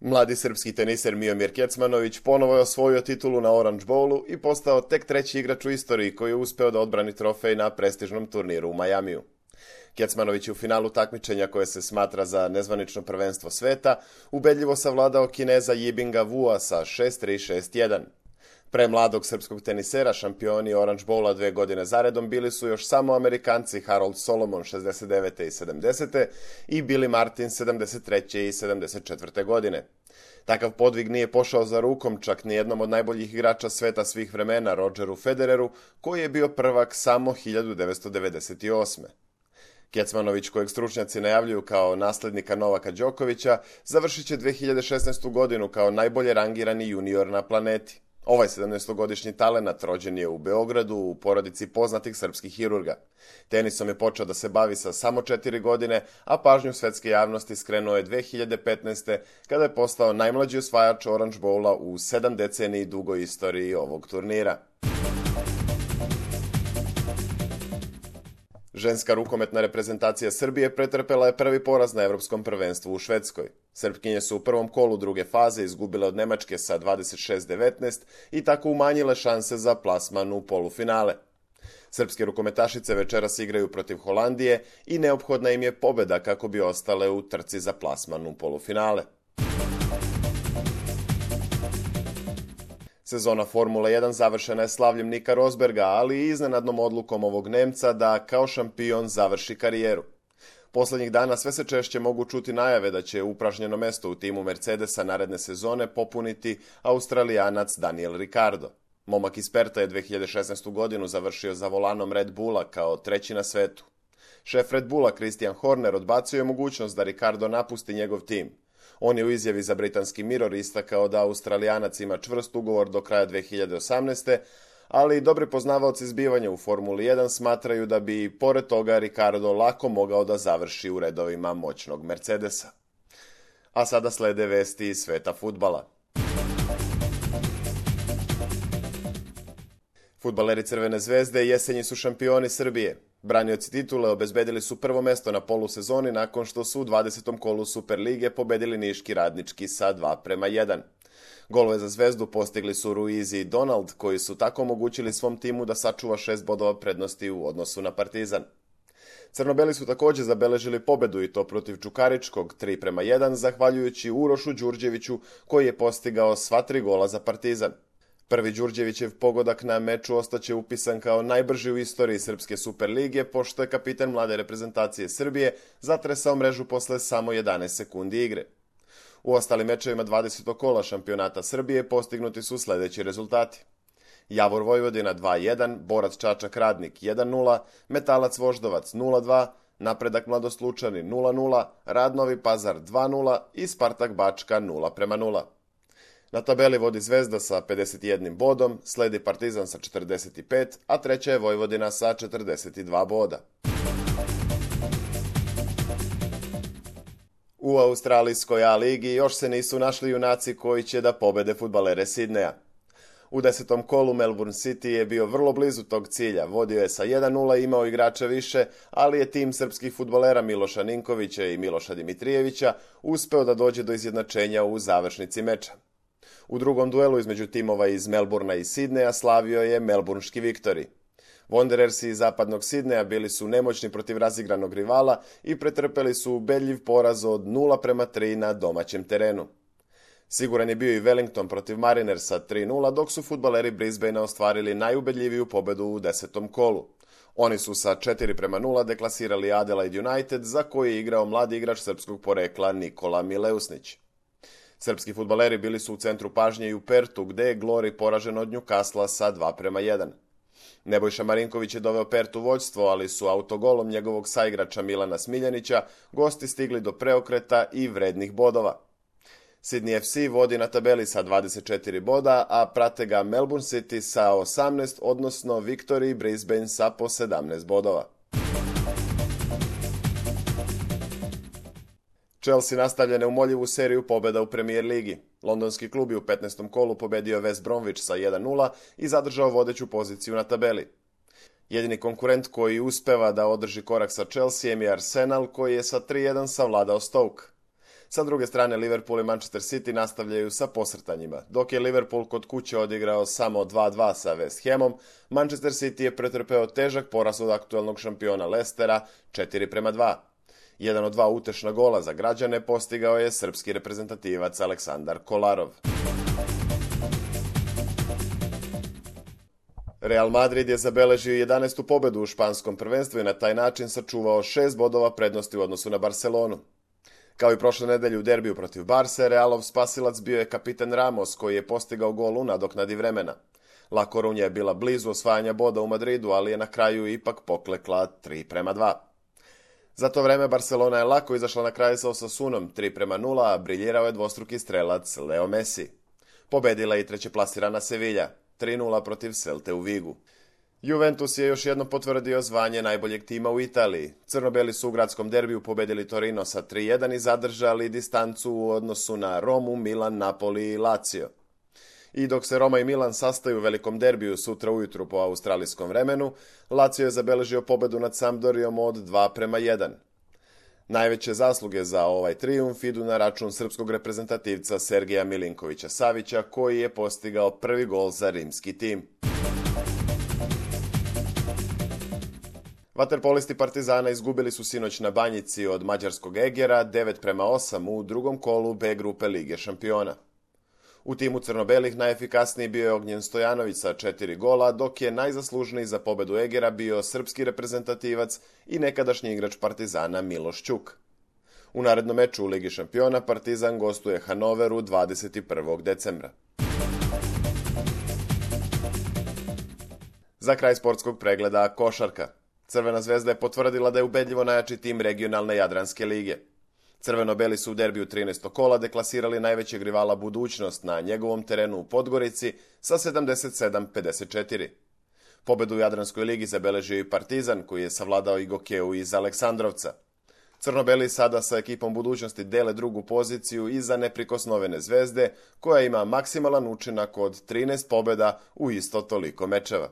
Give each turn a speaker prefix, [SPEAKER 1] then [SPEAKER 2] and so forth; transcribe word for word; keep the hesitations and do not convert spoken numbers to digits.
[SPEAKER 1] Mladi srpski teniser Miomir Kecmanović ponovo je osvojio titulu na Orange Bowlu i postao tek treći igrač u istoriji koji je uspeo da odbrani trofej na prestižnom turniru u Majamiju. Kecmanović je u finalu takmičenja koje se smatra za nezvanično prvenstvo sveta ubedljivo savladao Kineza Yibinga Wua sa šest tri šest jedan. Pre mladog srpskog tenisera šampioni Orange Bowla dve godine zaredom bili su još samo Amerikanci Harold Solomon šezdeset devete i sedamdesete i Billy Martin sedamdeset treće i sedamdeset četvrte godine. Takav podvig nije pošao za rukom čak ni jednom od najboljih igrača sveta svih vremena, Rodgeru Federeru, koji je bio prvak samo hiljadu devetsto devedeset osme. Kecmanović, kojeg stručnjaci najavljuju kao naslednika Novaka Đokovića, završit će dve hiljade šesnaestu godinu kao najbolje rangirani junior na planeti. Ovaj sedamnaestogodišnji talenat rođen je u Beogradu u porodici poznatih srpskih hirurga. Tenisom je počeo da se bavi sa samo četiri godine, a pažnju svetske javnosti skrenuo je dve hiljade petnaeste. kada je postao najmlađi osvajač Orange Bowla u sedam deceniji dugoj istoriji ovog turnira. Ženska rukometna reprezentacija Srbije pretrpela je prvi poraz na evropskom prvenstvu u Švedskoj. Srpkinje su u prvom kolu druge faze izgubile od Nemačke sa dvadeset šest devetnaest i tako umanjile šanse za plasman u polufinale. Srpske rukometašice večeras igraju protiv Holandije i neophodna im je pobeda kako bi ostale u trci za plasman u polufinale. Sezona Formule jedan završena je slavljem Nika Rosberga, ali i iznenadnom odlukom ovog Nemca da kao šampion završi karijeru. Poslednjih dana sve se češće mogu čuti najave da će upražnjeno mesto u timu Mercedesa naredne sezone popuniti Australijanac Daniel Ricciardo. Momak iz Perta je dve hiljade šesnaestu godinu završio za volanom Red Bulla kao treći na svetu. Šef Red Bulla Christian Horner odbacio je mogućnost da Ricciardo napusti njegov tim. On je u izjavi za britanski Mirror istakao da Australijanac ima čvrst ugovor do kraja dve hiljade osamnaeste. ali dobri poznavaoci zbivanja u Formuli jedan smatraju da bi, pored toga, Ricciardo lako mogao da završi u redovima moćnog Mercedesa. A sada slede vesti iz sveta fudbala. Fudbaleri Crvene zvezde jesenji su šampioni Srbije. Branioci titule obezbedili su prvo mesto na polusezoni nakon što su u dvadesetom kolu Superlige pobedili Niški Radnički sa dva prema jedan. Golove za Zvezdu postigli su Ruiz i Donald, koji su tako omogućili svom timu da sačuva šest bodova prednosti u odnosu na Partizan. Crnobeli su takođe zabeležili pobedu i to protiv Čukaričkog tri prema jedan, zahvaljujući Urošu Đurđeviću, koji je postigao sva tri gola za Partizan. Prvi Đurđevićev pogodak na meču ostaće upisan kao najbrži u istoriji Srpske Superlige, pošto je kapitan mlade reprezentacije Srbije zatresao mrežu posle samo jedanaest sekundi igre. U ostalim mečevima dvadesetog kola šampionata Srbije postignuti su sledeći rezultati. Javor Vojvodina dva jedan, Borac Čačak Radnik jedan nula, Metalac Voždovac nula dva, Napredak Mladost Lučani nula nula, Rad Novi Pazar dva nula i Spartak Bačka nula prema nula. Na tabeli vodi Zvezda sa pedeset jednim bodom, sledi Partizan sa četrdeset pet, a treća je Vojvodina sa četrdeset dva boda. U australijskoj A ligi još se nisu našli junaci koji će da pobede fudbalere Sidneja. U desetom kolu Melbourne City je bio vrlo blizu tog cilja, vodio je sa jedan nula i imao igrača više, ali je tim srpskih fudbalera Miloša Ninkovića i Miloša Dimitrijevića uspeo da dođe do izjednačenja u završnici meča. U drugom duelu između timova iz Melbournea i Sidneja slavio je melburnški Viktori. Wanderersi iz zapadnog Sidneja bili su nemoćni protiv razigranog rivala i pretrpeli su ubedljiv poraz od nula prema tri na domaćem terenu. Siguran je bio i Wellington protiv Marinersa tri nula, dok su fudbaleri Brisbanea ostvarili najubedljiviju pobedu u desetom kolu. Oni su sa četiri prema nula deklasirali Adelaide United, za koji je igrao mladi igrač srpskog porekla Nikola Mileusnić. Srpski fudbaleri bili su u centru pažnje i u Pertu, gde je Glory poražen od Newcastle sa dva prema jedan. Nebojša Marinković je doveo Pertu vođstvo, ali su autogolom njegovog saigrača Milana Smiljanića gosti stigli do preokreta i vrednih bodova. Sydney F C vodi na tabeli sa dvadeset četiri boda, a prate ga Melbourne City sa osamnaest, odnosno Victory i Brisbane sa po sedamnaest bodova. Chelsea nastavlja neumoljivu seriju pobeda u Premier ligi. Londonski klub je u petnaestom kolu pobedio West Bromwich sa jedan nula i zadržao vodeću poziciju na tabeli. Jedini konkurent koji uspeva da održi korak sa Chelseaem je Arsenal, koji je sa tri jedan savladao Stoke. Sa druge strane, Liverpool i Manchester City nastavljaju sa posrtanjima. Dok je Liverpool kod kuće odigrao samo dva dva sa West Hamom, Manchester City je pretrpeo težak poraz od aktuelnog šampiona Leicestera četiri prema dva. Jedan od dva utešna gola za građane postigao je srpski reprezentativac Aleksandar Kolarov. Real Madrid je zabeležio jedanaestu pobedu u španskom prvenstvu i na taj način sačuvao šest bodova prednosti u odnosu na Barcelonu. Kao i prošle nedelje u derbiju protiv Barse, Realov spasilac bio je kapitan Ramos, koji je postigao gol u nadoknadi vremena. La Coruña je bila blizu osvajanja boda u Madridu, ali je na kraju ipak poklekla tri prema dva. Za to vreme Barcelona je lako izašla na kraj sa Osasunom tri prema nula, a briljirao je dvostruki strelac Leo Messi. Pobedila je i trećeplasirana Sevilla tri nula protiv Celte u Vigu. Juventus je još jednom potvrdio zvanje najboljeg tima u Italiji. Crno-beli su u gradskom derbiju pobedili Torino sa tri jedan i zadržali distancu u odnosu na Romu, Milan, Napoli i Lazio. I dok se Roma i Milan sastaju u velikom derbiju sutra ujutru po australijskom vremenu, Lazio je zabeležio pobedu nad Sampdorijom od dva prema jedan. Najveće zasluge za ovaj trijumf idu na račun srpskog reprezentativca Sergeja Milinkovića Savića, koji je postigao prvi gol za rimski tim. Vaterpolisti Partizana izgubili su sinoć na Banjici od mađarskog Egera devet prema osam u drugom kolu B grupe Lige šampiona. U timu crno-belih najefikasniji bio je Ognjen Stojanović sa četiri gola, dok je najzaslužniji za pobedu Egera bio srpski reprezentativac i nekadašnji igrač Partizana Miloš Ćuk. U narednom meču u Ligi šampiona Partizan gostuje Hanoveru dvadeset prvog decembra. Za kraj sportskog pregleda košarka. Crvena zvezda je potvrdila da je ubedljivo najjači tim regionalne Jadranske lige. Crveno-beli su u derbiju trinaestog kola deklasirali najvećeg rivala Budućnost na njegovom terenu u Podgorici sa sedamdeset sedam pedeset četiri. Pobedu u Jadranskoj ligi zabeležio i Partizan, koji je savladao i Gokeu iz Aleksandrovca. Crno-beli sada sa ekipom Budućnosti dele drugu poziciju iza neprikosnovene Zvezde, koja ima maksimalan učinak od trinaest pobeda u isto toliko mečeva.